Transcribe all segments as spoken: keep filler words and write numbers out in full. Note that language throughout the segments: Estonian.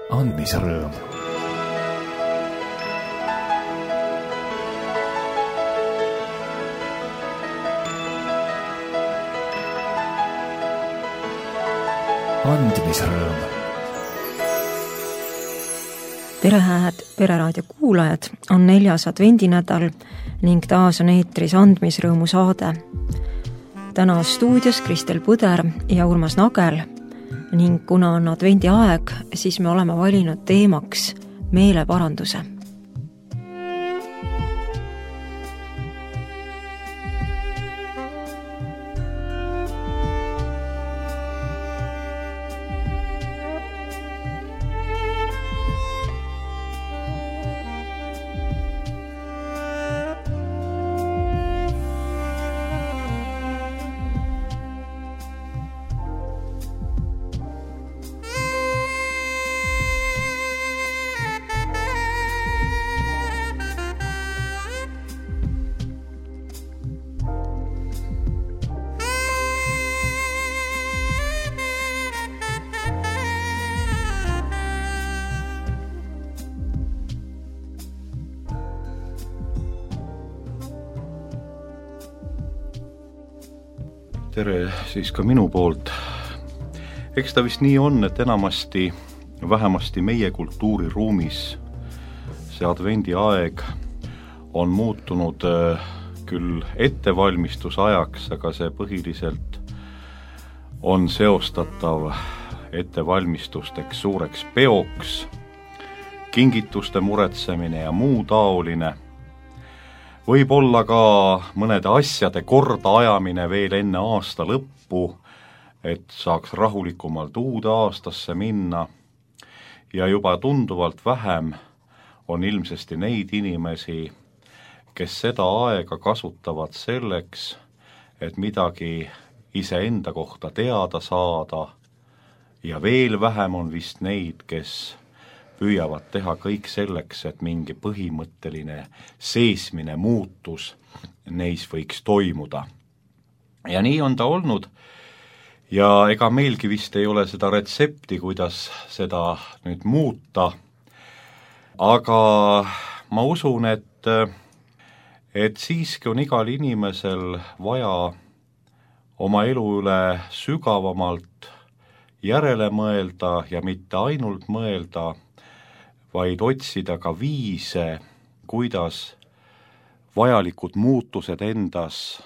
andmise rõõm. andmise rõõm. tere, hääd Pereraadio kuulajad, on neljas advendinädal ning taas on eetris andmisrõõmu saade. Täna stuudios Kristel Põder ja Urmas Nagel ning kuna on advendi aeg, siis me oleme valinud teemaks meeleparanduse. Tere siis ka minu poolt. Eks ta vist nii on, et enamasti, vähemasti meie kultuuriruumis see advendi aeg on muutunud küll ettevalmistusajaks, aga see põhiliselt on seostatav ettevalmistusteks suureks peoks, kingituste muretsemine ja muu taoline. Võib olla ka mõnede asjade korda ajamine veel enne aasta lõppu, et saaks rahulikumalt uude aastasse minna. Ja juba tunduvalt vähem on ilmsesti neid inimesi, kes seda aega kasutavad selleks, et midagi iseenda kohta teada saada. Ja veel vähem on vist neid, kes püüavad teha kõik selleks, et mingi põhimõtteline seesmine muutus neis võiks toimuda. Ja nii on ta olnud ja ega meilgi vist ei ole seda retsepti, kuidas seda nüüd muuta. Aga ma usun, et, et siiski on igal inimesel vaja oma elu üle sügavamalt järele mõelda ja mitte ainult mõelda, vaid otsida ka viise, kuidas vajalikud muutused endas,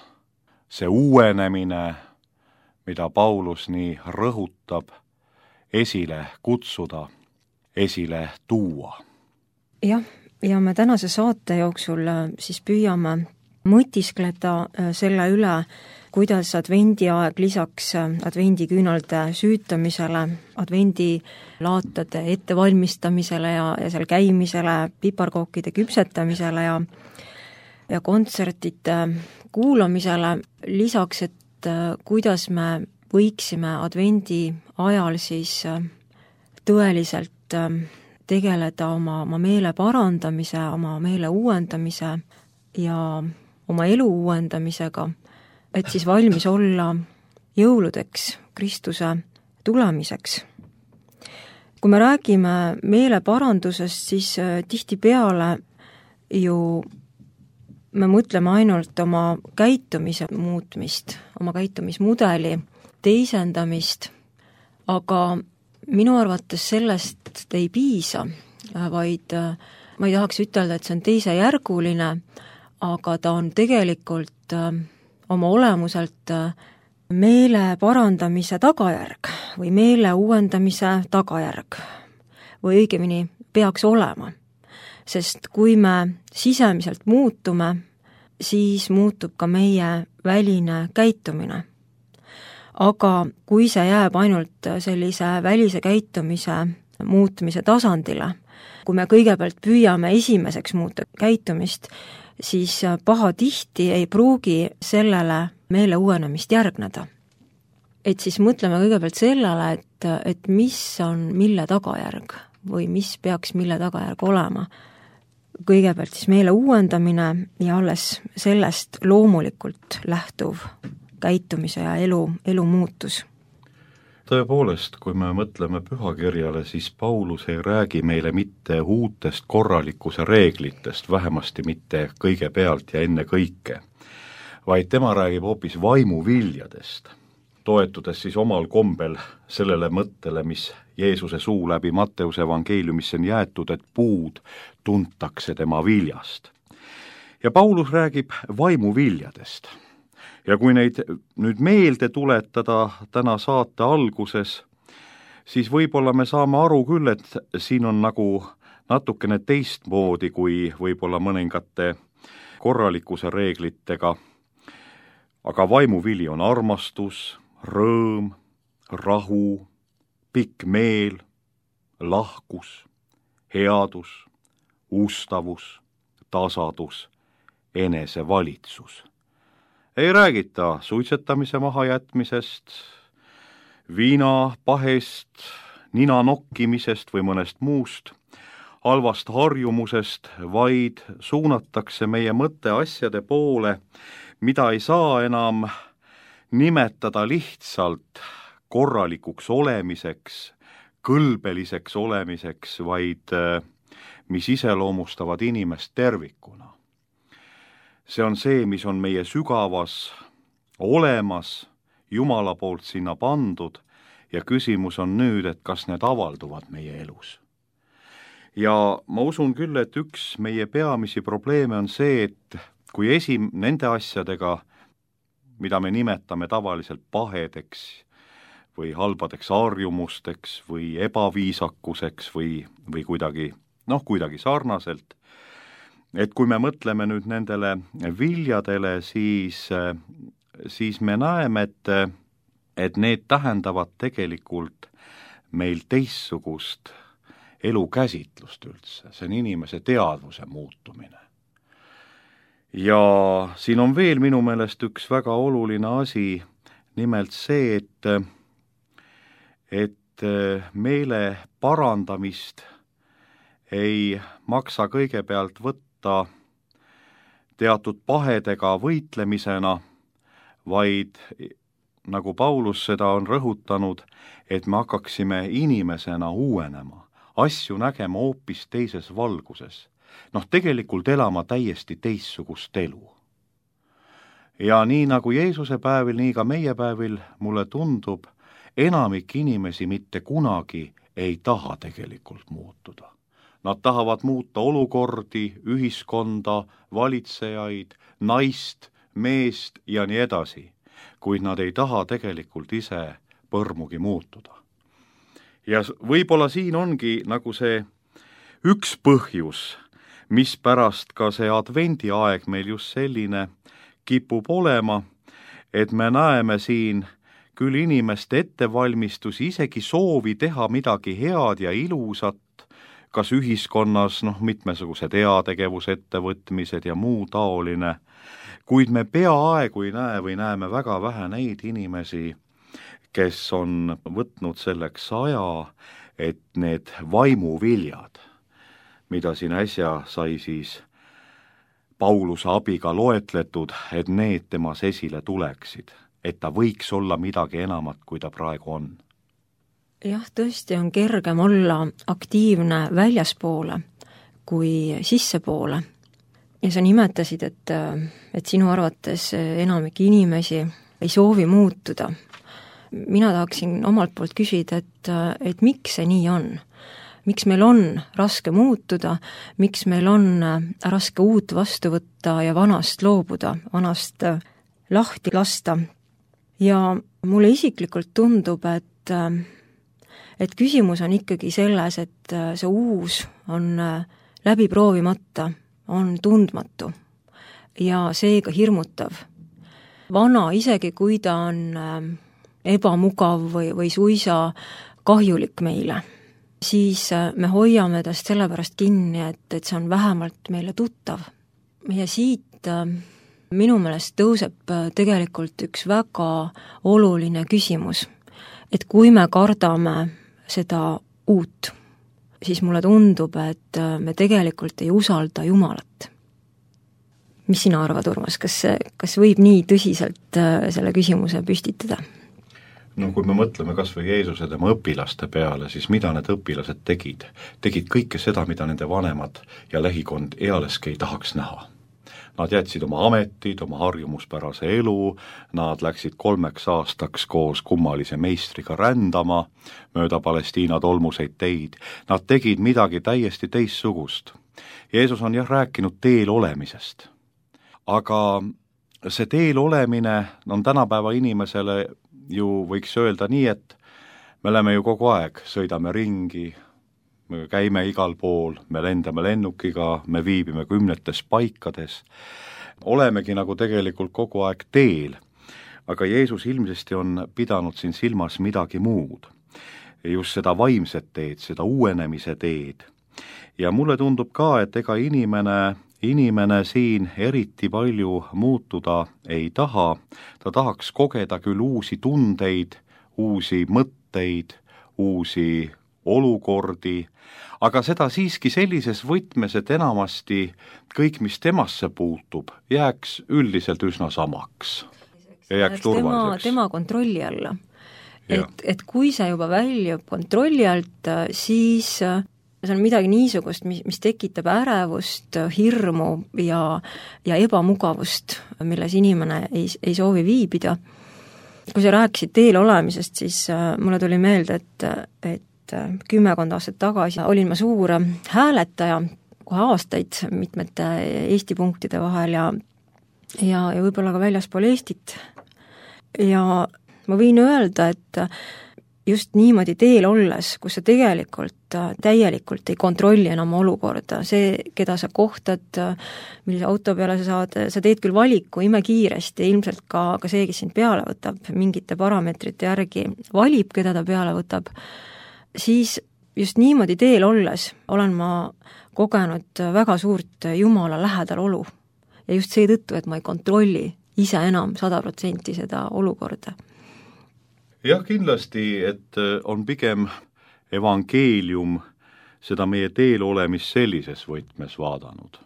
see uuenemine, mida Paulus nii rõhutab, esile kutsuda, esile tuua. Jah, ja me tänase saate jooksul siis püüame mõtiskleda selle üle, kuidas advendi aeg lisaks advendiküünalde süütamisele, advendilaatade ettevalmistamisele ja, ja seal käimisele, piparkookide küpsetamisele ja, ja kontsertide kuulamisele, lisaks, et kuidas me võiksime advendi ajal siis tõeliselt tegeleda oma, oma meele parandamise, oma meele uuendamise ja oma elu uuendamisega, et siis valmis olla jõuludeks, Kristuse tulemiseks. Kui me räägime meeleparandusest, siis tihtipeale ju me mõtleme ainult oma käitumise muutmist, oma käitumismudeli teisendamist, aga minu arvates sellest ei piisa, vaid ma ei tahaks ütelda, et see on teisejärguline, aga ta on tegelikult oma olemuselt meele parandamise tagajärg või meele uuendamise tagajärg või õigemini peaks olema. Sest kui me sisemiselt muutume, siis muutub ka meie väline käitumine. Aga kui see jääb ainult sellise välise käitumise muutmise tasandile, kui me kõigepealt püüame esimeseks muuta käitumist, siis pahatihti ei pruugi sellele meele uuenemist järgneda. Et siis mõtleme kõigepealt sellele, et, et mis on mille tagajärg või mis peaks mille tagajärg olema. Kõigepealt siis meele uuendamine ja alles sellest loomulikult lähtuv käitumise ja elu, elu muutus. Tõepoolest, kui me mõtleme pühakirjale, siis Paulus ei räägi meile mitte uutest korralikkuse reeglitest, vähemasti mitte kõigepealt ja enne kõike, vaid tema räägib hoopis vaimuviljadest, toetudes siis omal kombel sellele mõttele, mis Jeesuse suu läbi Matteuse evangeeliumisse on jäetud, et puud tuntakse tema viljast. Ja Paulus räägib vaimuviljadest. Ja kui neid nüüd meelde tuletada täna saate alguses, siis võib-olla me saame aru küll, et siin on nagu natukene teistmoodi kui võib-olla mõningate korralikkuse reeglitega, aga vaimuvili on armastus, rõõm, rahu, pikk meel, lahkus, headus, ustavus, tasadus, enesevalitsus. Ei räägita suitsetamise mahajätmisest, viina pahest, nina nokkimisest või mõnest muust, halvast harjumusest, vaid suunatakse meie mõtte asjade poole, mida ei saa enam nimetada lihtsalt korralikuks olemiseks, kõlbeliseks olemiseks, vaid mis iseloomustavad inimest tervikuna. See on see, mis on meie sügavas olemas, Jumala poolt sinna pandud ja küsimus on nüüd, et kas need avalduvad meie elus. Ja ma usun küll, et üks meie peamisi probleeme on see, et kui esim nende asjadega, mida me nimetame tavaliselt pahedeks või halbadeks harjumusteks või ebaviisakuseks või, või kuidagi, noh, kuidagi sarnaselt, et kui me mõtleme nüüd nendele viljadele, siis, siis me näeme, et, et need tähendavad tegelikult meil teistsugust elukäsitlust üldse. See on inimese teadvuse muutumine. Ja siin on veel minu meelest üks väga oluline asi, nimelt see, et, et meele parandamist ei maksa kõigepealt võtta teatud pahedega võitlemisena, vaid nagu Paulus seda on rõhutanud, et me hakkaksime inimesena uuenema, asju nägema hoopis teises valguses. Noh, tegelikult elama täiesti teistsugust elu. Ja nii nagu Jeesuse päevil, nii ka meie päevil mulle tundub, enamik inimesi mitte kunagi ei taha tegelikult muutuda. Nad tahavad muuta olukordi, ühiskonda, valitsejaid, naist, meest ja nii edasi, kuid nad ei taha tegelikult ise põrmugi muutuda. Ja võib-olla siin ongi nagu see üks põhjus, mis pärast ka see advendiaeg meil just selline kipub olema, et me näeme siin küll inimeste ettevalmistusi, isegi soovi teha midagi head ja ilusat, kas ühiskonnas, noh, mitmesugused heategevusettevõtmised ja muu taoline, kuid me peaaegu ei näe või näeme väga vähe neid inimesi, kes on võtnud selleks aja, et need vaimuviljad, mida siin äsja sai siis Pauluse abiga loetletud, et need temas esile tuleksid, et ta võiks olla midagi enamat, kui ta praegu on. Jah, tõesti on kergem olla aktiivne väljaspoole kui sissepoole. Ja sa nimetasid, et, et sinu arvates enamik inimesi ei soovi muutuda. Mina tahaksin omalt poolt küsida, et, et miks see nii on? Miks meil on raske muutuda, miks meil on raske uut vastu võtta ja vanast loobuda, vanast lahti lasta? Ja mulle isiklikult tundub, et et küsimus on ikkagi selles, et see uus on läbi proovimata, on tundmatu ja seega hirmutav. Vana, isegi kui ta on ebamugav või, või suisa kahjulik meile, siis me hoiame tast sellepärast kinni, et, et see on vähemalt meile tuttav. Ja siit minu meelest tõuseb tegelikult üks väga oluline küsimus, et kui me kardame seda uut, siis mulle tundub, et me tegelikult ei usalda Jumalat. Mis sina arvad, Urmas, kas, kas võib nii tõsiselt selle küsimuse püstitada? no kui me mõtleme kas või Jeesuse tema õpilaste peale, siis mida need õpilased tegid? Tegid kõike seda, mida nende vanemad ja lähikond ealeski ei tahaks näha. Nad jätsid oma ametid, oma harjumuspärase elu, nad läksid kolmeks aastaks koos kummalise meistriga rändama mööda Palestiina tolmuseid teid. Nad tegid midagi täiesti teistsugust. Jeesus on jah rääkinud teel olemisest. Aga see teel olemine on tänapäeva inimesele ju võiks öelda nii, et me oleme ju kogu aeg, sõidame ringi, me käime igal pool, me lendame lennukiga, me viibime kümnetes paikades, olemegi nagu tegelikult kogu aeg teel, aga Jeesus ilmsesti on pidanud siin silmas midagi muud, just seda vaimset teed, seda uuenemise teed. Ja mulle tundub ka, et ega inimene, inimene siin eriti palju muutuda ei taha, ta tahaks kogeda küll uusi tundeid, uusi mõtteid, uusi olukordi, aga seda siiski sellises võtmes, et enamasti kõik, mis temasse puutub, jääks üldiselt üsna samaks ja jääks turvaliseks. Tema, tema kontrolli alla. Et, et kui see juba väljub kontrolli alt, siis see on midagi niisugust, mis, mis tekitab ärevust, hirmu ja, ja ebamugavust, milles inimene ei, ei soovi viibida. Kui sa rääkisid teel olemisest, siis mulle tuli meelde, et, et kümmekond aastat tagasi olin ma suur hääletaja kohe aastaid mitmete Eesti punktide vahel ja, ja, ja võib-olla ka väljaspool Eestit. Ja ma võin öelda, et just niimoodi teel olles, kus sa tegelikult täielikult ei kontrolli enam olukorda, see, keda sa kohtad, millise auto peale sa saad, sa teed küll valiku imekiiresti, ilmselt ka, ka see, kes sind peale võtab, mingite parameetrite järgi valib, keda ta peale võtab, siis just niimoodi teel olles olen ma kogenud väga suurt Jumala lähedal olu. Ja just seetõttu, et ma ei kontrolli ise enam sada protsenti seda olukorda. Jah, kindlasti, et on pigem evangeelium seda meie teel olemist sellises võtmes vaadanud.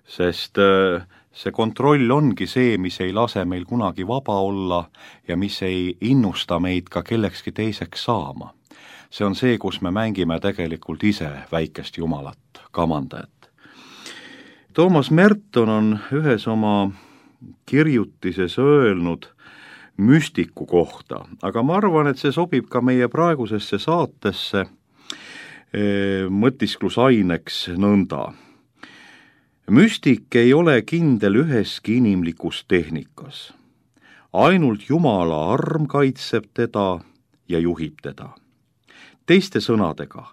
Sest see kontroll ongi see, mis ei lase meil kunagi vaba olla ja mis ei innusta meid ka kellekski teiseks saama. See on see, kus me mängime tegelikult ise väikest Jumalat, kamandajat. Toomas Merton on ühes oma kirjutises öelnud müstiku kohta, aga ma arvan, et see sobib ka meie praegusesse saatesse mõtisklusaineks nõnda. Müstik ei ole kindel üheski inimlikus tehnikas. Ainult Jumala arm kaitseb teda ja juhib teda. Teiste sõnadega,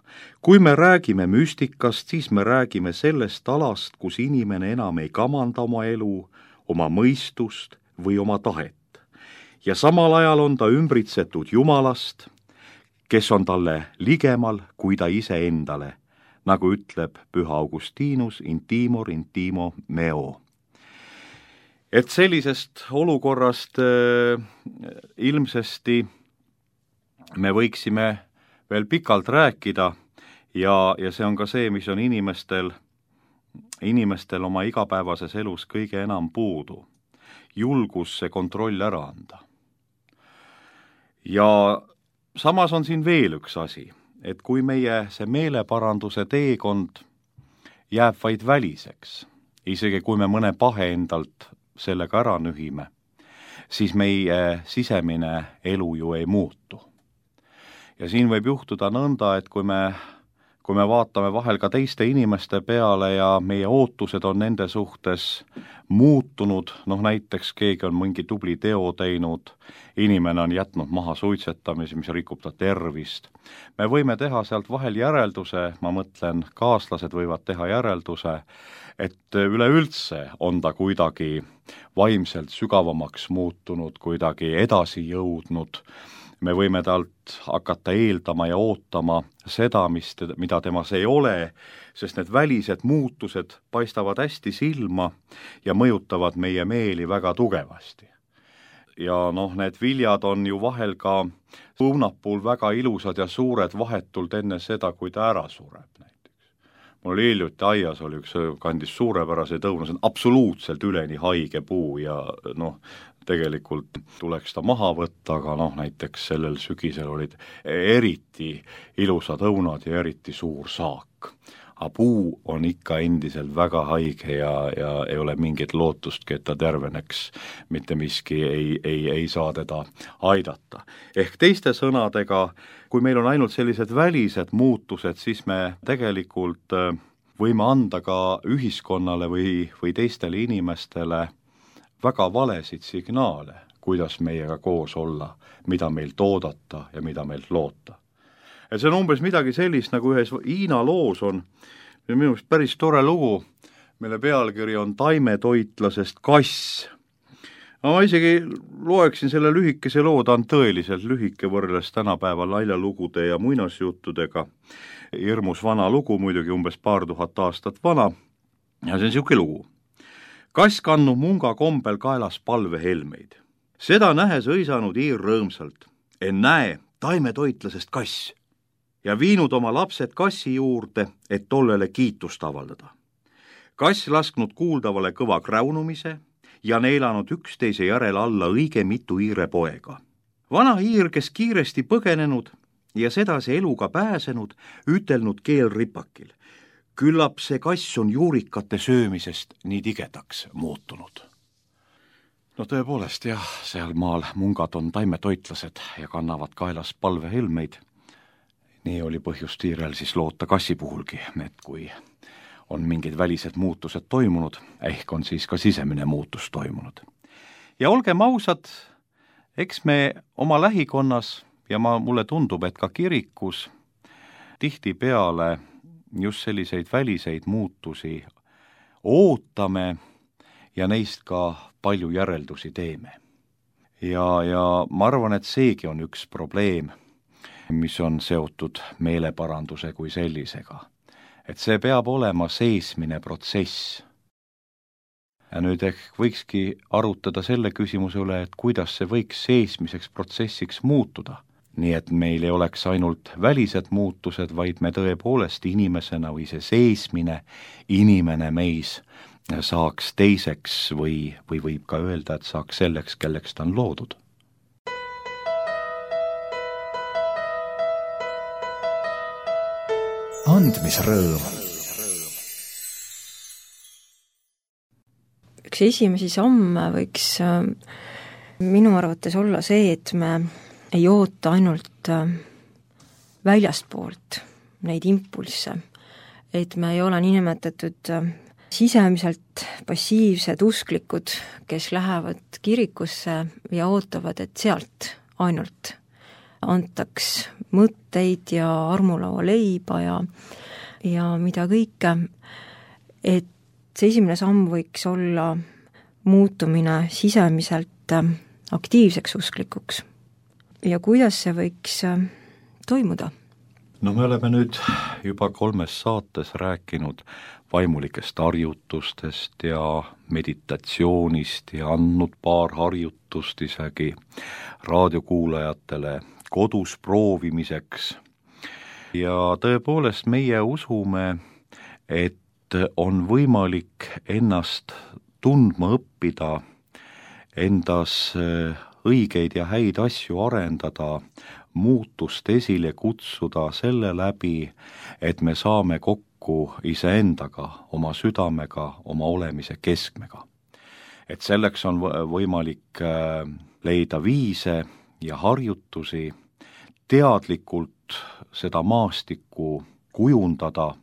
kui me räägime müstikast, siis me räägime sellest alast, kus inimene enam ei kamanda oma elu, oma mõistust või oma tahet. Ja samal ajal on ta ümbritsetud Jumalast, kes on talle ligemal kui ta ise endale, nagu ütleb Püha Augustinus intimor intimo meo. Et sellisest olukorrast äh, ilmsesti me võiksime veel pikalt rääkida ja, ja see on ka see, mis on inimestel, inimestel oma igapäevases elus kõige enam puudu. Julgus see kontroll ära anda. Ja samas on siin veel üks asi, et kui meie see meeleparanduse teekond jääb vaid väliseks, isegi kui me mõne pahe endalt sellega ära nühime, siis meie sisemine elu ju ei muutu. Ja siin võib juhtuda nõnda, et kui me, kui me vaatame vahel ka teiste inimeste peale ja meie ootused on nende suhtes muutunud, noh näiteks keegi on mingi tubli teo teinud, inimene on jätnud maha suitsetamise, mis rikub ta tervist. Me võime teha sealt vahel järelduse, ma mõtlen, kaaslased võivad teha järelduse, et üleüldse on ta kuidagi vaimselt sügavamaks muutunud, kuidagi edasi jõudnud. Me võime talt hakata eeldama ja ootama seda, mis teda, mida temas ei ole, sest need välised muutused paistavad hästi silma ja mõjutavad meie meeli väga tugevasti. Ja noh, need viljad on ju vahel ka õunapuul väga ilusad ja suured vahetult enne seda, kui ta ära sureb näiteks. Mul oli hiljuti aias oli üks kandis suurepäraseid õunasid, absoluutselt üleni haige puu ja noh, tegelikult tuleks ta maha võtta, aga noh, näiteks sellel sügisel olid eriti ilusad õunad ja eriti suur saak. Aga puu on ikka endiselt väga haige ja, ja ei ole mingit lootustki, et ta terveneks. Mitte miski ei, ei, ei saa teda aidata. Ehk teiste sõnadega, kui meil on ainult sellised välised muutused, siis me tegelikult võime anda ka ühiskonnale või, või teistele inimestele väga valesid signaale, kuidas meiega koos olla, mida meilt oodata ja mida meilt loota. Et see on umbes midagi sellist, nagu ühes Hiina loos on, minu arust päris tore lugu, mille pealkiri on Taimetoitlasest kass. Ma isegi loeksin selle lühikese loo, ta on tõeliselt lühike võrreldes tänapäeva naljalugude ja muinasjuttudega. Hirmus vana lugu, muidugi umbes paar tuhat aastat vana, ja see on siuke lugu. Kass kannub munga kombel kaelas palvehelmeid. Seda nähes õisanud iir rõõmsalt. En näe, taimetoitlasest kass. Ja viinud oma lapsed kassi juurde, et tollele kiitust avaldada. Kass lasknud kuuldavale kõva kräunumise ja neelanud üksteise järel alla õige mitu iire poega. Vana iir, kes kiiresti põgenenud ja sedasi eluga pääsenud, ütelnud keel ripakil. Küllap see kass on juurikate söömisest nii tigedaks muutunud. No tõepoolest jah, seal maal mungad on taimetoitlased ja kannavad kaelas palvehelmeid. Nii oli põhjust iirel siis loota kassi puhulgi, et kui on mingid välised muutused toimunud, ehk on siis ka sisemine muutus toimunud. Ja olgem ausad, eks me oma lähikonnas ja ma, mulle tundub, et ka kirikus tihtipeale just selliseid väliseid muutusi ootame ja neist ka palju järeldusi teeme. Ja, ja ma arvan, et seegi on üks probleem, mis on seotud meeleparanduse kui sellisega. Et see peab olema seesmine protsess. Ja nüüd ehk võikski arutada selle küsimuse üle, et kuidas see võiks seesmiseks protsessiks muutuda. Nii et meil ei oleks ainult välised muutused, vaid me tõepoolest inimesena või see seesmine inimene meis saaks teiseks või, või võib ka öelda, et saaks selleks, kelleks ta on loodud. Andmisrõõm. Üks esimesi samme võiks minu arvates olla see, et me ei oota ainult väljastpoolt neid impulsse, et me ei ole niinimetatud sisemiselt passiivsed usklikud, kes lähevad kirikusse ja ootavad, et sealt ainult antaks mõtteid ja armulaua leiba ja, ja mida kõike, et see esimene samm võiks olla muutumine sisemiselt aktiivseks usklikuks. Ja kuidas see võiks toimuda? No me oleme nüüd juba kolmes saates rääkinud vaimulikest harjutustest ja meditatsioonist ja andnud paar harjutust isegi raadiokuulajatele kodus proovimiseks. Ja tõepoolest meie usume, et on võimalik ennast tundma õppida, endas õigeid ja häid asju arendada, muutust esile kutsuda selle läbi, et me saame kokku iseendaga, oma südamega, oma olemise keskmega. Et selleks on võimalik leida viise ja harjutusi, teadlikult seda maastikku kujundada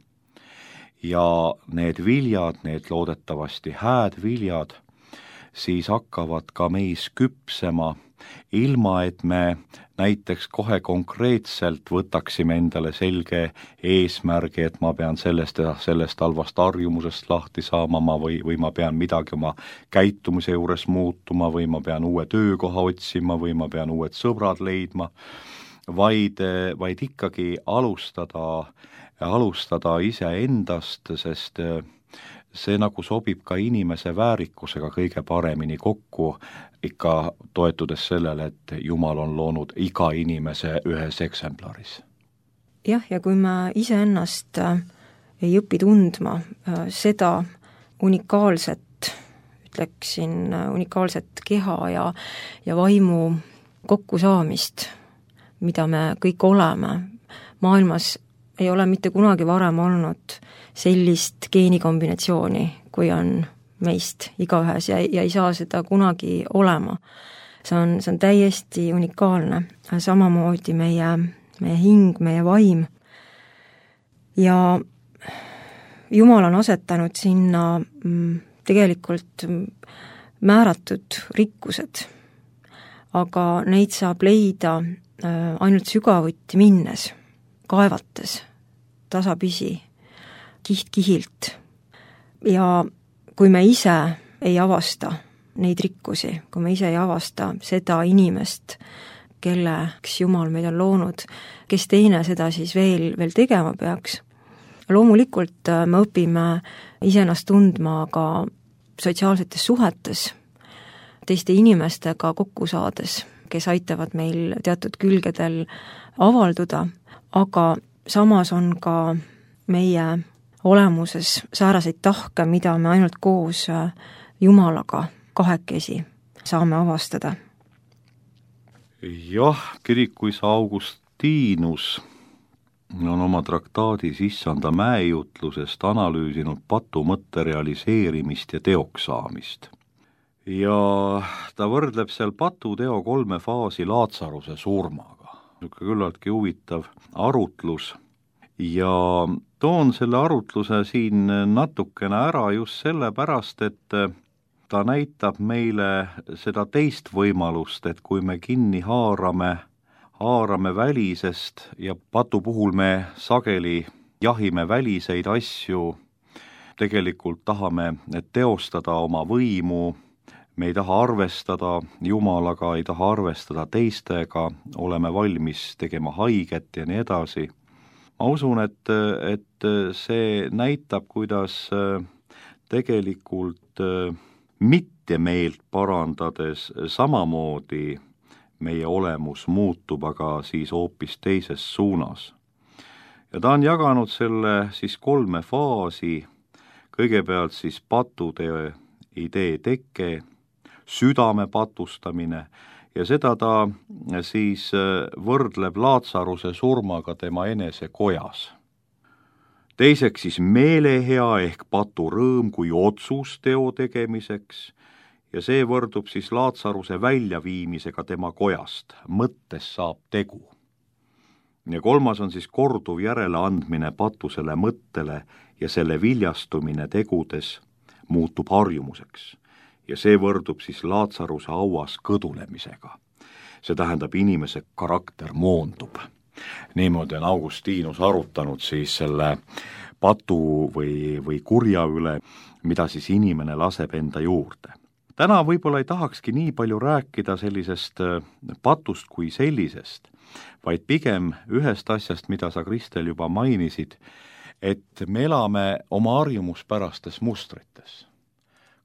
ja need viljad, need loodetavasti hääd viljad, siis hakkavad ka meis küpsema, ilma et me näiteks kohe konkreetselt võtaksime endale selge eesmärgi, et ma pean sellest ja sellest halvast harjumusest lahti saama ma või, või ma pean midagi oma käitumise juures muutuma või ma pean uue töökoha otsima või ma pean uued sõbrad leidma, vaid, vaid ikkagi alustada, alustada iseendast, sest see nagu sobib ka inimese väärikusega kõige paremini kokku, ikka toetudes sellele, et Jumal on loonud iga inimese ühes eksemplaris. Jah, ja kui me iseennast ei õpi tundma seda unikaalset, ütleksin, unikaalset keha ja, ja vaimu kokkusaamist, mida me kõik oleme. Maailmas ei ole mitte kunagi varem olnud sellist geenikombinatsiooni, kui on meist igaühes ja, ja ei saa seda kunagi olema. See on, see on täiesti unikaalne, samamoodi meie, meie hing, meie vaim. Ja Jumal on asetanud sinna tegelikult määratud rikkused, aga neid saab leida ainult sügavuti minnes, kaevates, tasapisi, kiht kihilt. Ja kui me ise ei avasta neid rikkusi, kui me ise ei avasta seda inimest, kelleks Jumal meid on loonud, kes teine seda siis veel, veel tegema peaks. Loomulikult me õpime iseennast tundma ka sotsiaalsetes suhetes, teiste inimestega kokku saades, kes aitavad meil teatud külgedel avalduda, aga samas on ka meie olemuses sääraseid tahke, mida me ainult koos Jumalaga kahekesi saame avastada. Jah, kirikuisa Augustinus on oma traktaadis Issanda mäejutlusest analüüsinud patu mõtte realiseerimist ja teoks saamist. Ja ta võrdleb seal patu teo kolme faasi Laatsaruse surmaga. Küllaltki huvitav arutlus ja toon selle arutluse siin natukene ära just sellepärast, et ta näitab meile seda teist võimalust, et kui me kinni haarame, haarame välisest ja patu puhul me sageli jahime väliseid asju, tegelikult tahame teostada oma võimu, me ei taha arvestada Jumalaga, ei taha arvestada teistega, oleme valmis tegema haiget ja nii edasi. Ma usun, et, et see näitab, kuidas tegelikult mitte meelt parandades samamoodi meie olemus muutub, aga siis hoopis teises suunas. Ja ta on jaganud selle siis kolme faasi, kõigepealt siis patutee idee teke, südame patustamine ja seda ta siis võrdleb Laatsaruse surmaga tema enese kojas. Teiseks siis meelehea ehk patu rõõm kui otsus teo tegemiseks ja see võrdub siis Laatsaruse väljaviimisega tema kojast, mõttes saab tegu. Ja kolmas on siis korduv järeleandmine patusele mõttele ja selle viljastumine tegudes muutub harjumuseks. Ja see võrdub siis Laatsaruse hauas kõdulemisega. See tähendab, inimese karakter moondub. Niimoodi on Augustinus arutanud siis selle patu või, või kurja üle, mida siis inimene laseb enda juurde. Täna võib-olla ei tahakski nii palju rääkida sellisest patust kui sellisest, vaid pigem ühest asjast, mida sa, Kristel, juba mainisid, et me elame oma harjumuspärastes mustrites,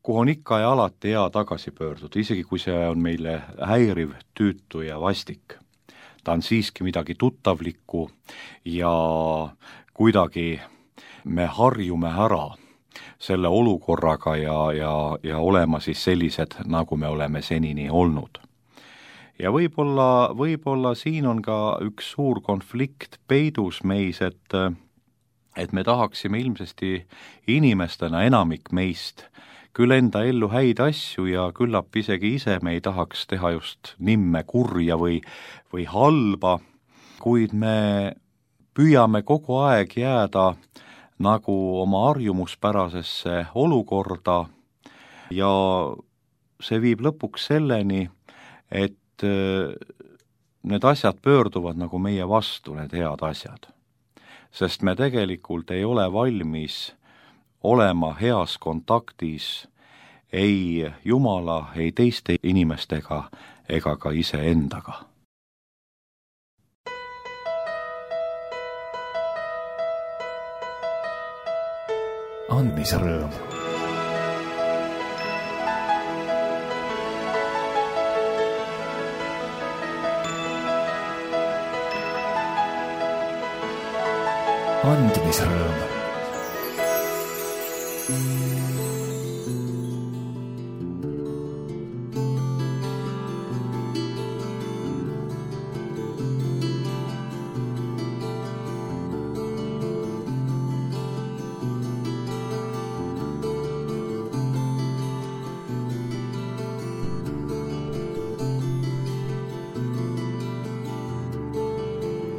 kuhu on ikka ja alati hea tagasi pöörduda, isegi kui see on meile häiriv, tüütu ja vastik. Ta on siiski midagi tuttavlikku ja kuidagi me harjume ära selle olukorraga ja, ja, ja olema siis sellised, nagu me oleme senini olnud. Ja võib-olla, võib-olla siin on ka üks suur konflikt peidus meis, et, et me tahaksime ilmsesti inimestena, enamik meist, küll enda ellu häid asju ja küllap isegi ise me ei tahaks teha just nimme kurja või, või halba, kuid me püüame kogu aeg jääda nagu oma harjumuspärasesse olukorda ja see viib lõpuks selleni, et need asjad pöörduvad nagu meie vastu, need head asjad. Sest me tegelikult ei ole valmis olema heas kontaktis ei Jumala, ei teiste inimestega ega ka iseendaga. Andmisrõõm. Andmisrõõm.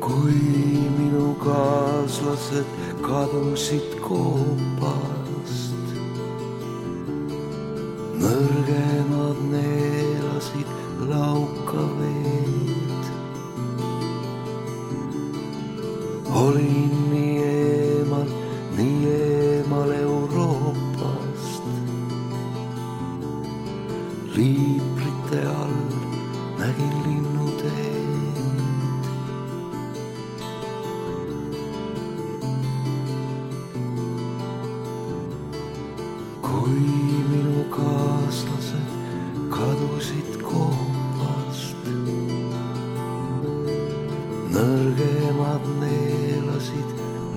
kui minu kaaslased kadusid koopast, nõrgemad neelasid lauka veed. Olin nii eemal, nii eemal Euroopast, liibrite all nägin linnuteed. Kui minu kaaslased kadusid koopast, nõrgemad neelasid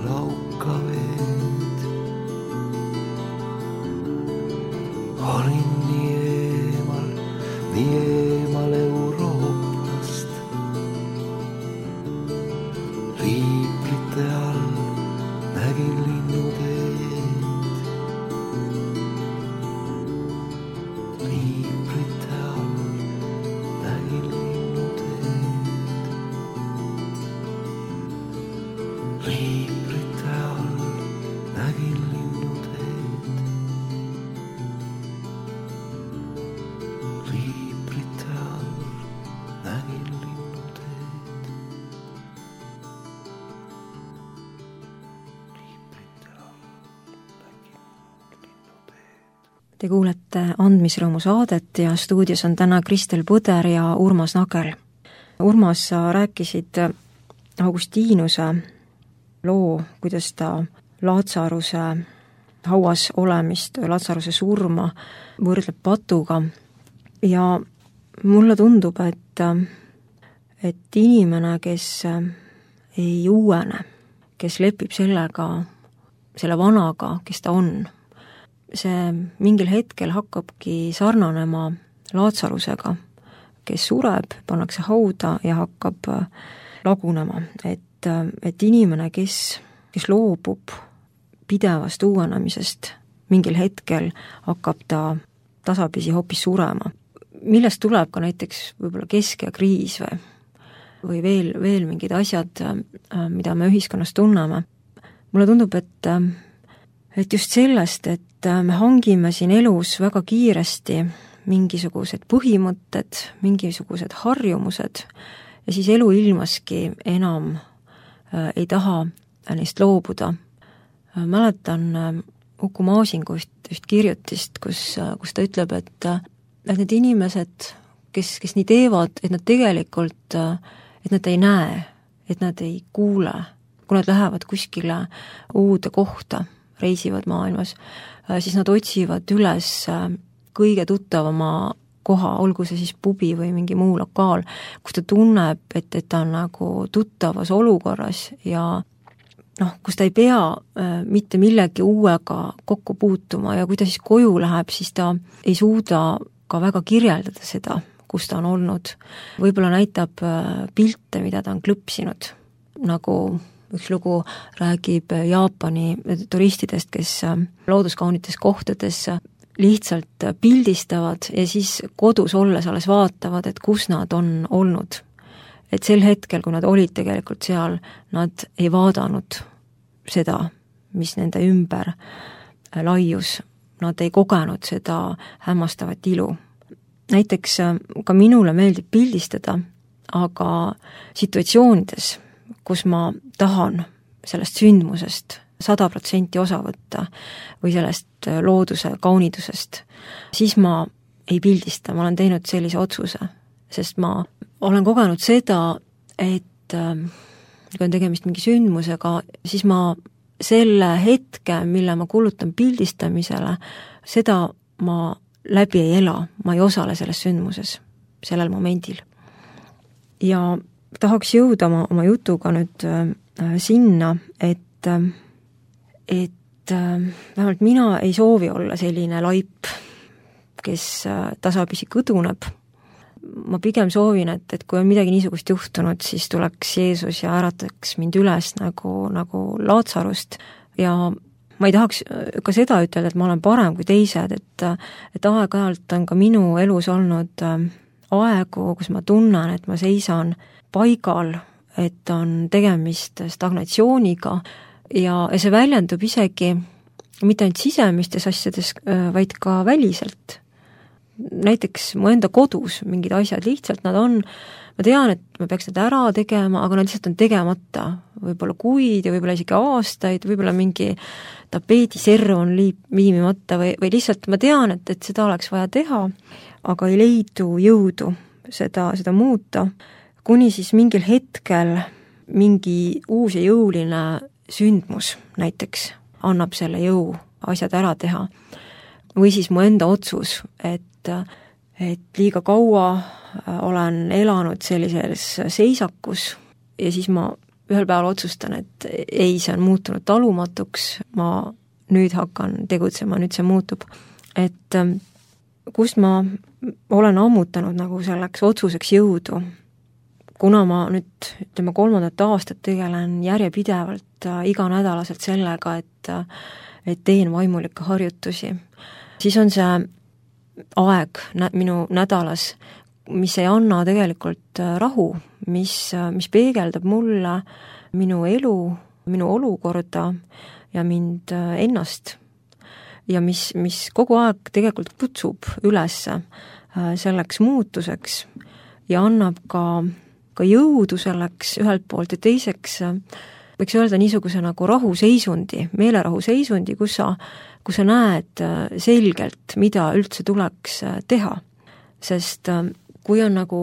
lauka veed. Olin nii eemal, nii eemal Euroopast, liibrite all nägin linnuteed. Liibrite all nägin linnuteed. Liibrite all nägin linnuteed. Liibrite all nägin linnuteed. Liibrite all nägin linnuteed. Te kuulete Andmisrõõmu saadet ja stuudios on täna Kristel Põder ja Urmas Nagel. Urmas, sa rääkisid Augustinuse loo, kuidas ta Laatsaruse hauas olemist, Laatsaruse surma võrdleb patuga ja mulle tundub, et, et inimene, kes ei uuene, kes lepib sellega, selle vanaga, kes ta on, see mingil hetkel hakkabki sarnanema Laatsarusega, kes sureb, pannakse hauda ja hakkab lagunema. Et, et inimene, kes, kes loobub pidevast uuenemisest, mingil hetkel hakkab ta tasapisi hoopis surema. Millest tuleb ka näiteks võib-olla keskeakriis või, või veel, veel mingid asjad, mida me ühiskonnas tunneme. Mulle tundub, et, et just sellest, et me hangime siin elus väga kiiresti mingisugused põhimõtted, mingisugused harjumused ja siis elu ilmaski enam äh, ei taha neist loobuda. Äh, mäletan äh, Uku Maasingu üht, üht kirjutist, kus, äh, kus ta ütleb, et, äh, et need inimesed, kes, kes nii teevad, et nad tegelikult, äh, et nad ei näe, et nad ei kuule, kui nad lähevad kuskile uude kohta, reisivad maailmas, siis nad otsivad üles kõige tuttavama koha, olgu see siis pubi või mingi muu lokaal, kus ta tunneb, et, et ta on nagu tuttavas olukorras ja noh, kus ta ei pea äh, mitte millegi uuega kokku puutuma ja kui ta siis koju läheb, siis ta ei suuda ka väga kirjeldada seda, kus ta on olnud. Võib-olla näitab äh, pilte, mida ta on klõpsinud, nagu üks lugu räägib Jaapani turistidest, kes looduskaunites kohtades lihtsalt pildistavad ja siis kodus olles alles vaatavad, et kus nad on olnud. Et sel hetkel, kui nad olid tegelikult seal, nad ei vaadanud seda, mis nende ümber laius. Nad ei kogenud seda hämmastavat ilu. Näiteks ka minule meeldib pildistada, aga situatsioonides, kus ma tahan sellest sündmusest sada protsenti osa võtta või sellest looduse kaunidusest, siis ma ei pildista, ma olen teinud sellise otsuse, sest ma olen kogenud seda, et kui on tegemist mingi sündmusega, siis ma selle hetke, mille ma kulutan pildistamisele, seda ma läbi ei ela, ma ei osale selles sündmuses, sellel momendil. Ja tahaks jõuda oma, oma jutuga nüüd äh, sinna, et, äh, et äh, vähemalt mina ei soovi olla selline laip, kes äh, tasapisi kõduneb. Ma pigem soovin, et, et kui on midagi niisugust juhtunud, siis tuleks Jeesus ja ärataks mind üles nagu, nagu Laatsarust ja ma ei tahaks ka seda ütelda, et ma olen parem kui teised, et, et aeg-ajalt on ka minu elus olnud äh, aegu, kus ma tunnen, et ma seisan paigal et on tegemist stagnatsiooniga ja, ja see väljendub isegi mitte ainult sisemistes asjades, vaid ka väliselt. Näiteks mu enda kodus mingid asjad lihtsalt, nad on, ma tean, et ma peaks need ära tegema, aga nad lihtsalt on tegemata. Võib-olla kuid ja võib-olla isegi aastaid, võib-olla mingi tapeediserv on liip, viimimata või, või lihtsalt ma tean, et, et seda oleks vaja teha, aga ei leidu jõudu seda, seda muuta, kuni siis mingil hetkel mingi uus ja jõuline sündmus näiteks annab selle jõu asjad ära teha. Või siis mu enda otsus, et, et liiga kaua olen elanud sellises seisakus ja siis ma ühel päeval otsustan, et ei, see on muutunud talumatuks, ma nüüd hakkan tegutsema, nüüd see muutub. Et kust ma olen ammutanud nagu selleks otsuseks jõudu, kuna ma nüüd, ütleme, kolmandat aastat tegelen järjepidevalt iganädalaselt sellega, et, et teen vaimulikke harjutusi, siis on see aeg nä- minu nädalas, mis ei anna tegelikult rahu, mis, mis peegeldab mulle minu elu, minu olukorda ja mind ennast ja mis, mis kogu aeg tegelikult kutsub üles selleks muutuseks ja annab ka, ka jõudu selleks ühelt poolt ja teiseks võiks öelda niisuguse nagu rahuseisundi, meelerahuseisundi, kus sa, kus sa näed selgelt, mida üldse tuleks teha. Sest kui on nagu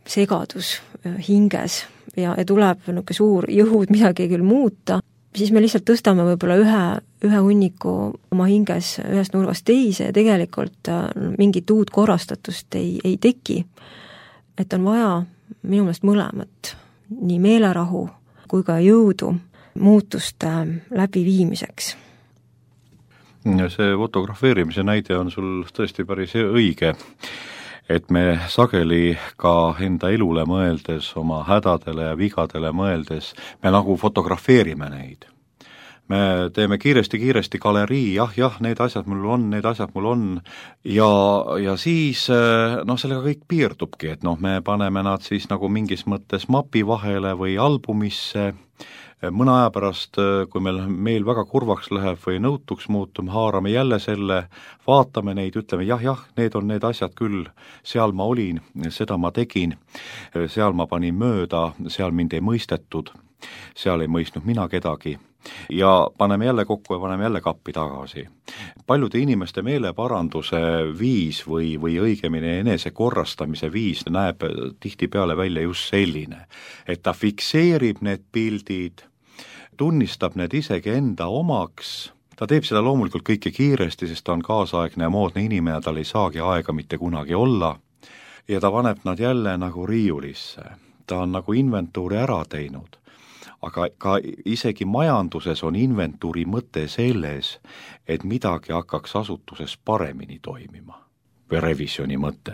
segadus hinges ja, ja tuleb niisugune suur jõud midagi küll muuta, siis me lihtsalt tõstame võib-olla ühe, ühe hunniku oma hinges ühest nurgast teise ja tegelikult mingit uut korrastatust ei, ei teki. Et on vaja minu meelest mõlemat, nii meelerahu kui ka jõudu muutuste läbiviimiseks. See fotografeerimise näide on sul tõesti päris õige, et me sageli ka enda elule mõeldes, oma hädadele ja vigadele mõeldes, me nagu fotografeerime neid. Me teeme kiiresti-kiiresti galerii, jah, jah, need asjad mul on, need asjad mul on, ja, ja siis noh, sellega kõik piirdubki, et noh, me paneme nad siis nagu mingis mõttes mapi vahele või albumisse, mõne aja pärast, kui meil meil väga kurvaks läheb või nõutuks muutum, haarame jälle selle, vaatame neid, ütleme jah, jah, need on need asjad küll, seal ma olin, seda ma tegin, seal ma panin mööda, seal mind ei mõistetud, seal ei mõistnud mina kedagi ja paneme jälle kokku ja paneme jälle kappi tagasi. Paljude inimeste meeleparanduse viis või, või õigemini enese korrastamise viis näeb tihtipeale välja just selline, et ta fikseerib need pildid, tunnistab need isegi enda omaks, ta teeb seda loomulikult kõike kiiresti, sest ta on kaasaegne ja moodne inimene, tal ei saagi aega mitte kunagi olla ja ta paneb nad jälle nagu riiulisse, ta on nagu inventuuri ära teinud. Aga ka isegi majanduses on inventuuri mõte selles, et midagi hakkaks asutuses paremini toimima või revisjoni mõte.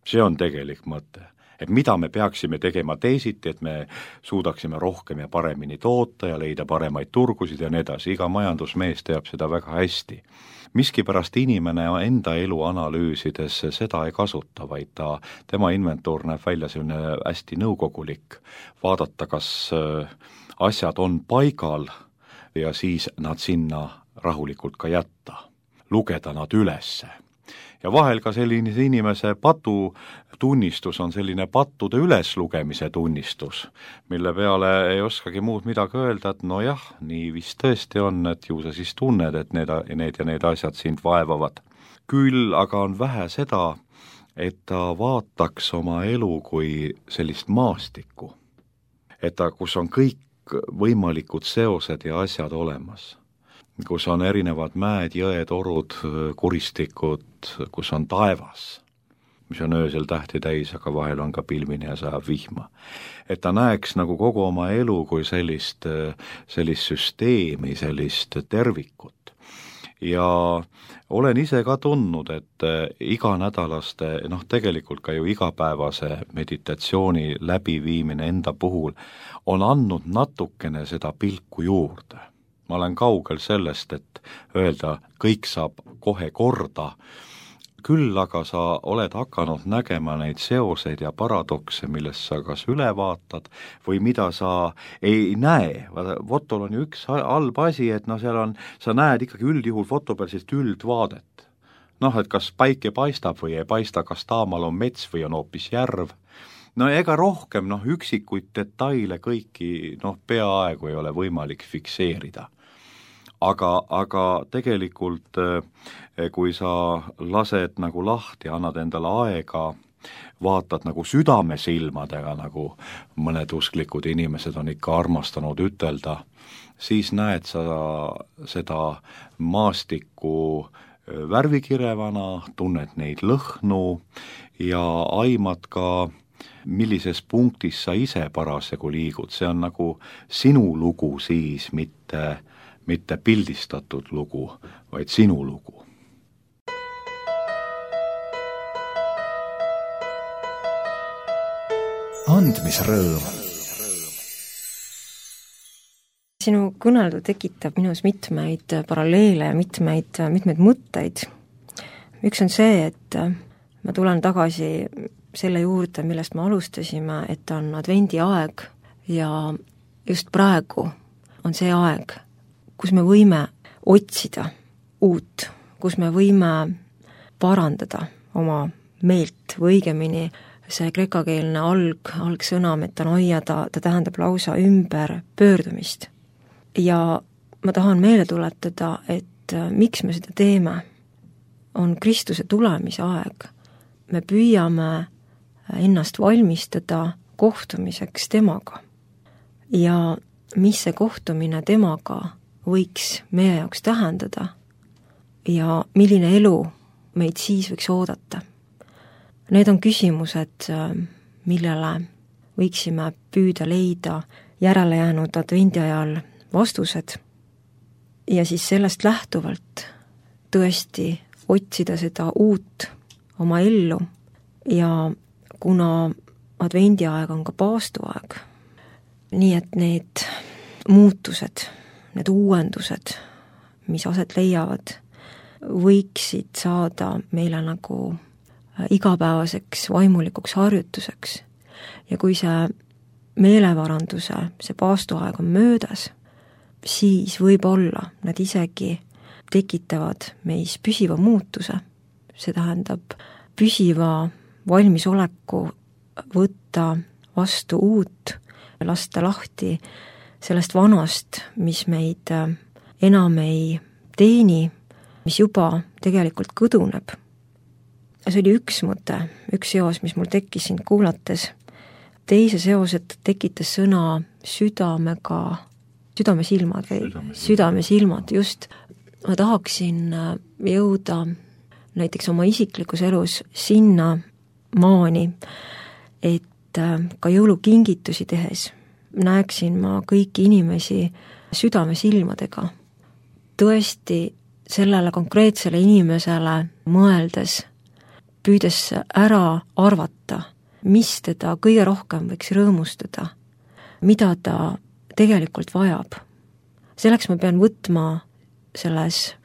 See on tegelik mõte, et mida me peaksime tegema teisiti, et me suudaksime rohkem ja paremini toota ja leida paremaid turgusid ja nii edasi. Iga majandusmees teab seda väga hästi. Miskipärast inimene enda elu analüüsides seda ei kasuta, vaid ta, tema inventuur näeb välja selline hästi nõukogulik, vaadata, kas asjad on paigal ja siis nad sinna rahulikult ka jätta, lugeda nad ülesse. Ja vahel ka selline inimese patu tunnistus on selline pattude üleslugemise tunnistus, mille peale ei oskagi muud midagi öelda, et no jah, nii vist tõesti on, et ju sa siis tunned, et need, need ja need asjad sind vaevavad. Küll aga on vähe seda, et ta vaataks oma elu kui sellist maastikku, et ta, kus on kõik võimalikud seosed ja asjad olemas, kus on erinevad mäed, jõed, orud, kuristikud, kus on taevas, mis on öösel tähti täis, aga vahel on ka pilvine ja sajab vihma. Et ta näeks nagu kogu oma elu kui sellist, sellist süsteemi, sellist tervikut. Ja olen ise ka tundnud, et iganädalaste, noh tegelikult ka ju igapäevase meditatsiooni läbiviimine enda puhul on andnud natukene seda pilku juurde. Ma olen kaugel sellest, et öelda, kõik saab kohe korda, küll aga sa oled hakanud nägema neid seoseid ja paradokse, millest sa kas üle vaatad või mida sa ei näe. Fotol on ju üks halb asi, et no seal on, sa näed ikkagi üldjuhul foto peal sellist üldvaadet. Noh, et kas päike paistab või ei paista, kas taamal on mets või on hoopis järv. No ega rohkem, noh, üksikuid detaile kõiki, noh, peaaegu ei ole võimalik fikseerida. Aga, aga tegelikult kui sa lased nagu lahti, annad endale aega, vaatad nagu südamesilmadega, nagu mõned usklikud inimesed on ikka armastanud ütelda, siis näed sa seda maastikku värvikirevana, tunned neid lõhnu ja aimad ka, millises punktis sa ise parasjagu liigud. See on nagu sinu lugu siis, mitte mitte pildistatud lugu, vaid sinu lugu. Andmisrõõm. Sinu kõneldu tekitab minus mitmeid paralleele ja mitmeid, mitmeid mõtteid. Üks on see, et ma tulen tagasi selle juurde, millest me alustasime, et on advendi aeg ja just praegu on see aeg, kus me võime otsida uut, kus me võime parandada oma meelt või õigemini see kreekakeelne alg, algsõna metanoia, ta, ta tähendab lausa ümber pöördumist. Ja ma tahan meelde tuletada, et miks me seda teeme, on Kristuse tulemise aeg. Me püüame ennast valmistada kohtumiseks temaga. Ja mis see kohtumine temaga võiks meie jaoks tähendada ja milline elu meid siis võiks oodata. Need on küsimused, millele võiksime püüda leida järele jäänud advendi ajal vastused ja siis sellest lähtuvalt tõesti otsida seda uut oma ellu ja kuna advendi aeg on ka paastuaeg, nii et need muutused, need uuendused, mis aset leiavad, võiksid saada meile nagu igapäevaseks vaimulikuks harjutuseks. Ja kui see meelevaranduse, see paastuaeg on möödas, siis võib-olla nad isegi tekitavad meis püsiva muutuse. See tähendab püsiva valmisoleku võtta vastu uut, lasta lahti sellest vanast, mis meid enam ei teeni, mis juba tegelikult kõduneb. See oli üks mõte, üks seos, mis mul tekkis sind kuulates. Teise seoset tekitas sõna südamega, südamesilmad, südamesilmad, just. Ma tahaksin jõuda näiteks oma isiklikus elus sinna maani, et ka jõulukingitusi tehes näeksin ma kõiki inimesi südamesilmadega. Tõesti sellele konkreetsele inimesele mõeldes, püüdes ära arvata, mis teda kõige rohkem võiks rõõmustada, mida ta tegelikult vajab. Selleks ma pean võtma selles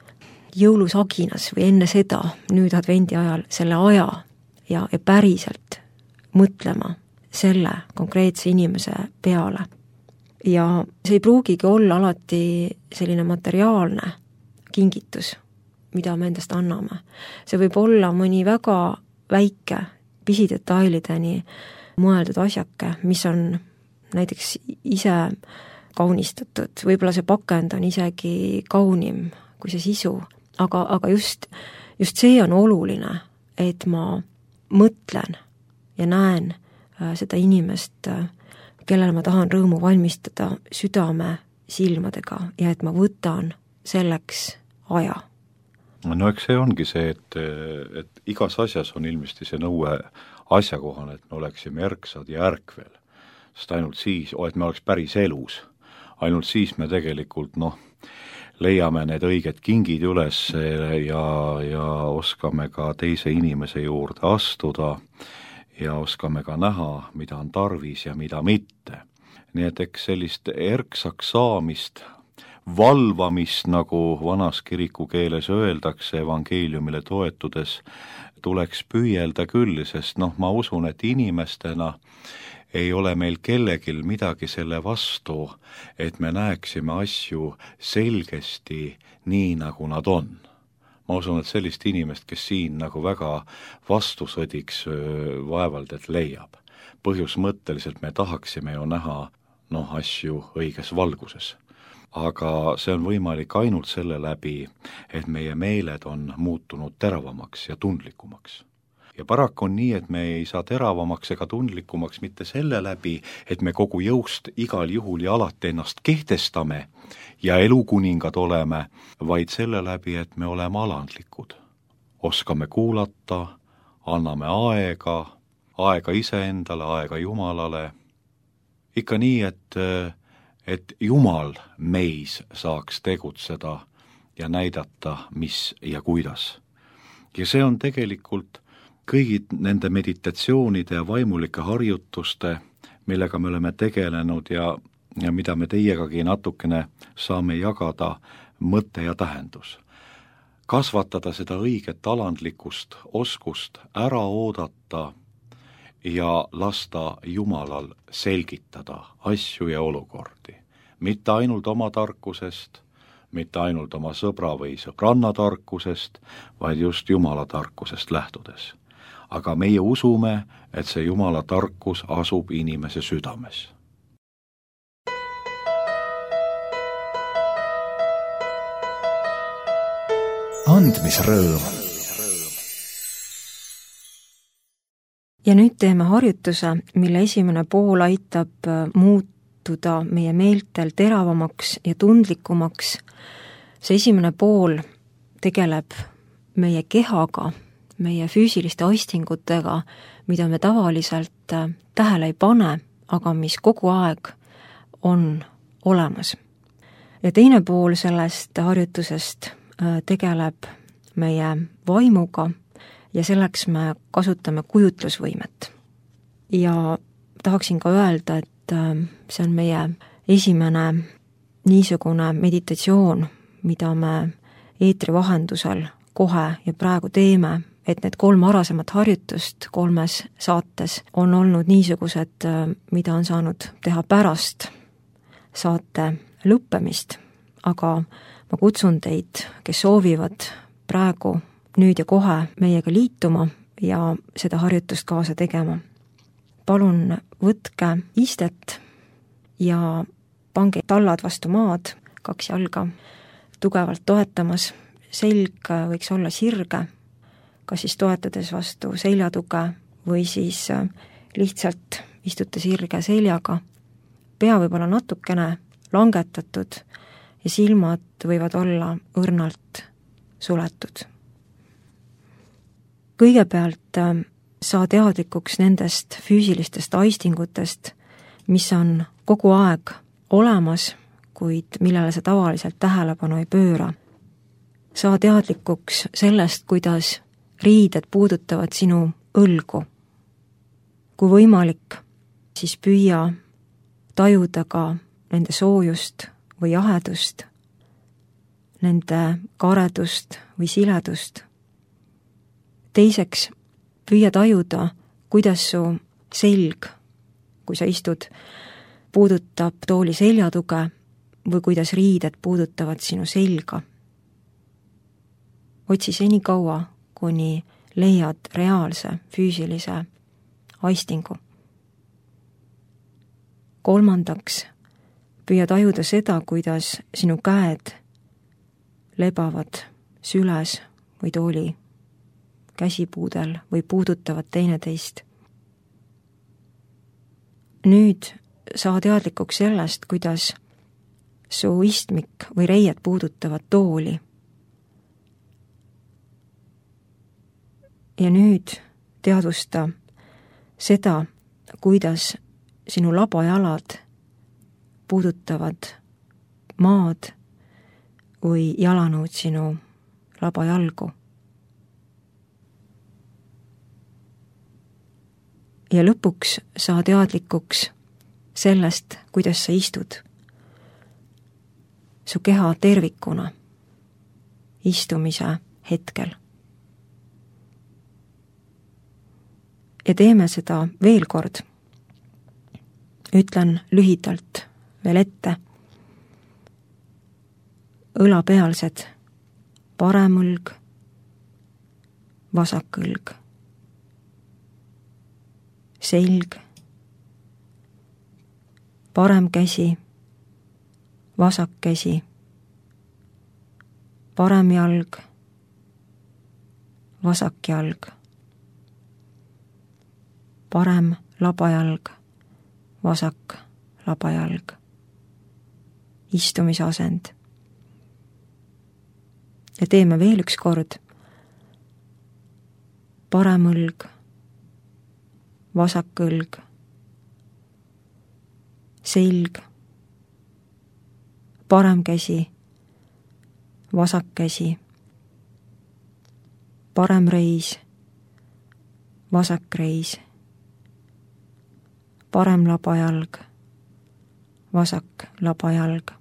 jõulusaginas või enne seda, nüüd advendi ajal, selle aja ja, ja päriselt mõtlema selle konkreetse inimese peale. Ja see ei pruugigi olla alati selline materiaalne kingitus, mida me endast anname. See võib olla mõni väga väike pisidetailideni mõeldud asjake, mis on näiteks ise kaunistatud, võib-olla see pakend on isegi kaunim kui see sisu, aga, aga just, just see on oluline, et ma mõtlen ja näen seda inimest, kellele ma tahan rõõmu valmistada südame silmadega ja et ma võtan selleks aja. No eks see ongi see, et, et igas asjas on ilmesti see nõue asjakohane, et me oleksime ärksad ja ärkvel. Sest ainult siis, et me oleks päris elus, ainult siis me tegelikult noh, leiame need õiged kingid üles ja, ja oskame ka teise inimese juurde astuda ja oskame ka näha, mida on tarvis ja mida mitte. Nii et eks sellist erksaks saamist valvamist, nagu vanas kiriku keeles öeldakse evangeeliumile toetudes, tuleks püüelda küll, sest noh, ma usun, et inimestena ei ole meil kellegil midagi selle vastu, et me näeksime asju selgesti nii, nagu nad on. Ma usun, et sellist inimest, kes siin nagu väga vastusõdiks vaevalt, et leiab. Põhjusmõtteliselt me tahaksime ju näha noh, asju õiges valguses. Aga see on võimalik ainult selle läbi, et meie meeled on muutunud teravamaks ja tundlikumaks. Ja paraku on nii, et me ei saa teravamaks ega tundlikumaks mitte selle läbi, et me kogu jõust igal juhul ja alati ennast kehtestame ja elukuningad oleme, vaid selle läbi, et me oleme alandlikud. Oskame kuulata, anname aega, aega iseendale, aega Jumalale. Ikka nii, et, et Jumal meis saaks tegutseda ja näidata, mis ja kuidas. Ja see on tegelikult kõigi nende meditatsioonide ja vaimulike harjutuste, millega me oleme tegelenud ja, ja mida me teiegagi natukene saame jagada, mõte ja tähendus. Kasvatada seda õiget alandlikust oskust, ära oodata ja lasta Jumalal selgitada asju ja olukordi. Mitte ainult oma tarkusest, mitte ainult oma sõbra või sõbranna tarkusest, vaid just Jumala tarkusest lähtudes. Aga meie usume, et see Jumala tarkus asub inimese südames. Andmisrõõm. Ja nüüd teeme harjutuse, mille esimene pool aitab muutuda meie meeltel teravamaks ja tundlikumaks. See esimene pool tegeleb meie kehaga, meie füüsiliste aistingutega, mida me tavaliselt tähele ei pane, aga mis kogu aeg on olemas. Ja teine pool sellest harjutusest tegeleb meie vaimuga ja selleks me kasutame kujutlusvõimet. Ja tahaksin ka öelda, et see on meie esimene niisugune meditatsioon, mida me eetri vahendusel kohe ja praegu teeme, et need kolm varasemat harjutust kolmes saates on olnud niisugused, mida on saanud teha pärast saate lõppemist, aga ma kutsun teid, kes soovivad praegu, nüüd ja kohe meiega liituma ja seda harjutust kaasa tegema. Palun võtke istet ja pange tallad vastu maad, kaks jalga tugevalt toetamas, selg võiks olla sirge, kas siis toetades vastu seljatuge või siis lihtsalt istute sirge seljaga. Pea võib olla natukene langetatud ja silmad võivad olla õrnalt suletud. Kõigepealt saa teadlikuks nendest füüsilistest aistingutest, mis on kogu aeg olemas, kuid millele sa tavaliselt tähelepanu ei pööra. Saa teadlikuks sellest, kuidas riided puudutavad sinu õlgu. Kui võimalik, siis püüa tajuda ka nende soojust või jahedust, nende karedust või siledust. Teiseks, püüa tajuda, kuidas su selg, kui sa istud, puudutab tooli seljatuge või kuidas riided puudutavad sinu selga. Otsi seni kaua, kuni leiad reaalse füüsilise aistingu. Kolmandaks, püüa tajuda seda, kuidas sinu käed lebavad süles või tooli käsipuudel või puudutavad teineteist. Nüüd saa teadlikuks sellest, kuidas su istmik või reied puudutavad tooli. Ja nüüd teadvusta seda, kuidas sinu labajalad puudutavad maad või jalanõud sinu labajalgu. Ja lõpuks saa teadlikuks sellest, kuidas sa istud. su keha tervikuna istumise hetkel. Ja teeme seda veel kord. Ütlen lühidalt veel ette. Õlapealsed, parem õlg, vasak õlg, selg, parem käsi, vasak käsi, parem jalg, vasak jalg, parem labajalg, vasak labajalg, istumisasend. Ja teeme veel üks kord. Parem õlg, vasak õlg, selg, parem käsi, vasak käsi, parem reis, vasak reis, parem labajalg, vasak labajalg,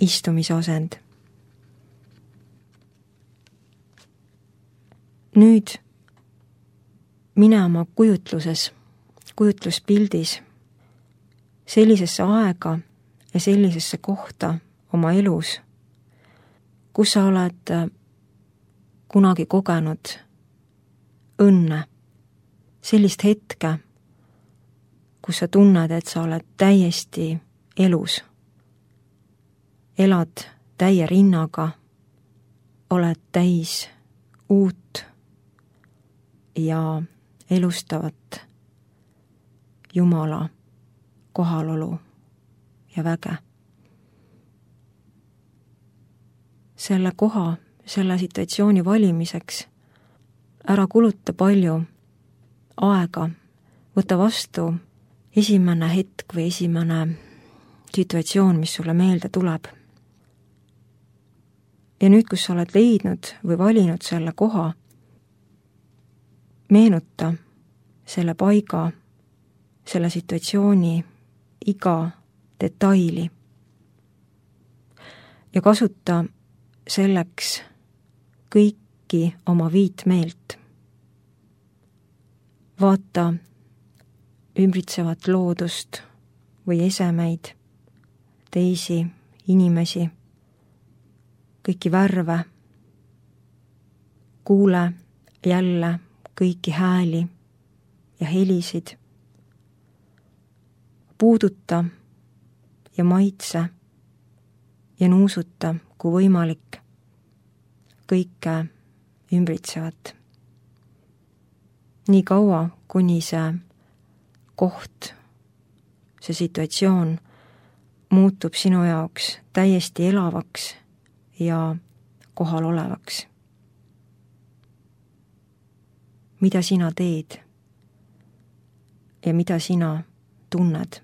istumisasend. Nüüd mine oma kujutluses, kujutluspildis sellisesse aega ja sellisesse kohta oma elus, kus sa oled kunagi kogenud õnne, sellist hetke, kus sa tunned, et sa oled täiesti elus, elad täie rinnaga, oled täis uut ja elustavat Jumala kohalolu ja väge. Selle koha, selle situatsiooni valimiseks ära kuluta palju aega, võta vastu esimene hetk või esimene situatsioon, mis sulle meelde tuleb. Ja nüüd, kus sa oled leidnud või valinud selle koha, meenuta selle paiga, selle situatsiooni iga detaili ja kasuta selleks kõiki oma viit meelt. Vaata ümbritsevat loodust või esemeid, teisi inimesi, kõiki värve, kuule jälle kõiki hääli ja helisid, puuduta ja maitse ja nuusuta, kui võimalik, kõike ümbritsevat. Nii kaua, kuni see koht, see situatsioon muutub sinu jaoks täiesti elavaks ja kohal olevaks. Mida sina teed ja mida sina tunned?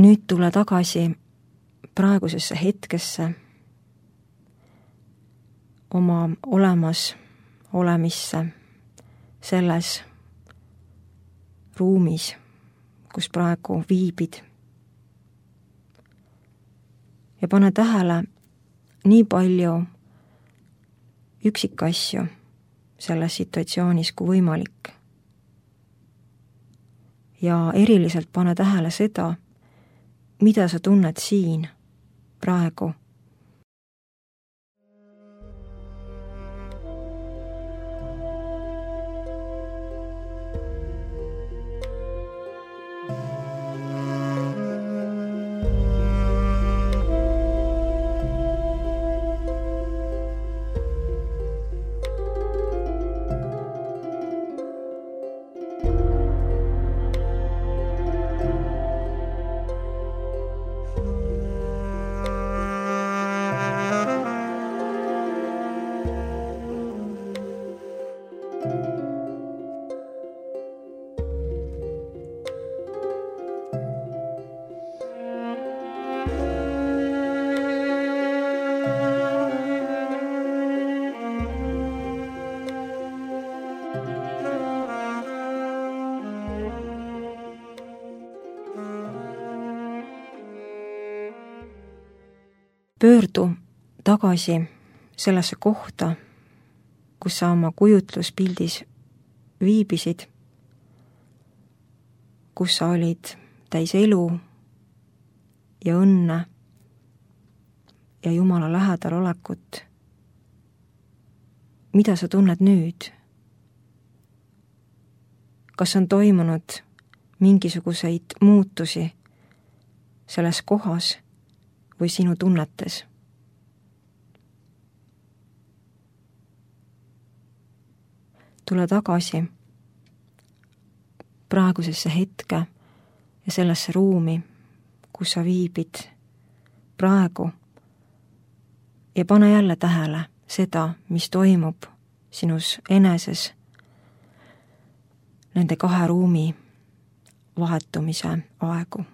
Nüüd tule tagasi praegusesse hetkesse, oma olemas olemisse, selles ruumis, kus praegu viibid. Ja pane tähele nii palju üksikasju selles situatsioonis kui võimalik. Ja eriliselt pane tähele seda, mida sa tunned siin, praegu. pöördu tagasi sellesse kohta, kus sa oma kujutluspildis viibisid, kus sa olid täis elu ja õnne ja Jumala lähedal olekut. Mida sa tunned nüüd? Kas on toimunud mingisuguseid muutusi selles kohas või sinu tunnetes? Tule tagasi praegusesse hetke ja sellesse ruumi, kus sa viibid praegu ja pane jälle tähele seda, mis toimub sinus eneses nende kahe ruumi vahetumise aegu.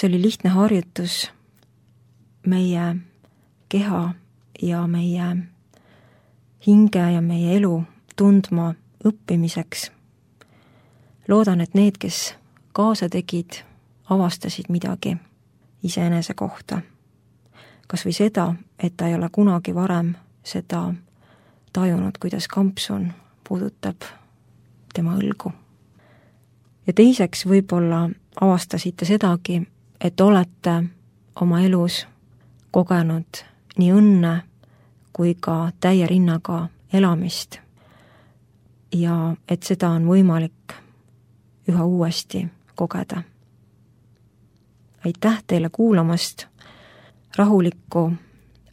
See oli lihtne harjutus meie keha ja meie hinge ja meie elu tundma õppimiseks. Loodan, et need, kes kaasa tegid, avastasid midagi iseenese kohta. Kas või seda, et ta ei ole kunagi varem seda tajunud, kuidas kampsun puudutab tema õlgu. Ja teiseks võib-olla avastasite sedagi, et olete oma elus kogenud nii õnne kui ka täie rinnaga elamist ja et seda on võimalik üha uuesti kogeda. Aitäh teile kuulamast, rahulikku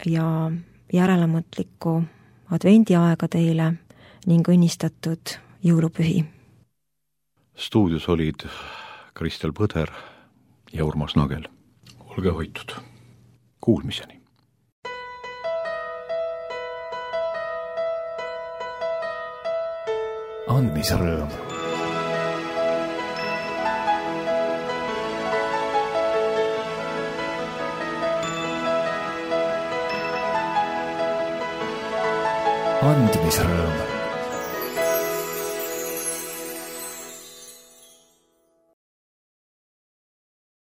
ja järelemõtlikku advendiaega teile ning õnnistatud jõulupühi. Stuudios olid Kristel Põder ja Urmas Nagel. Olge hoitud. Kuulmiseni. Andmisrõõm. Andmisrõõm.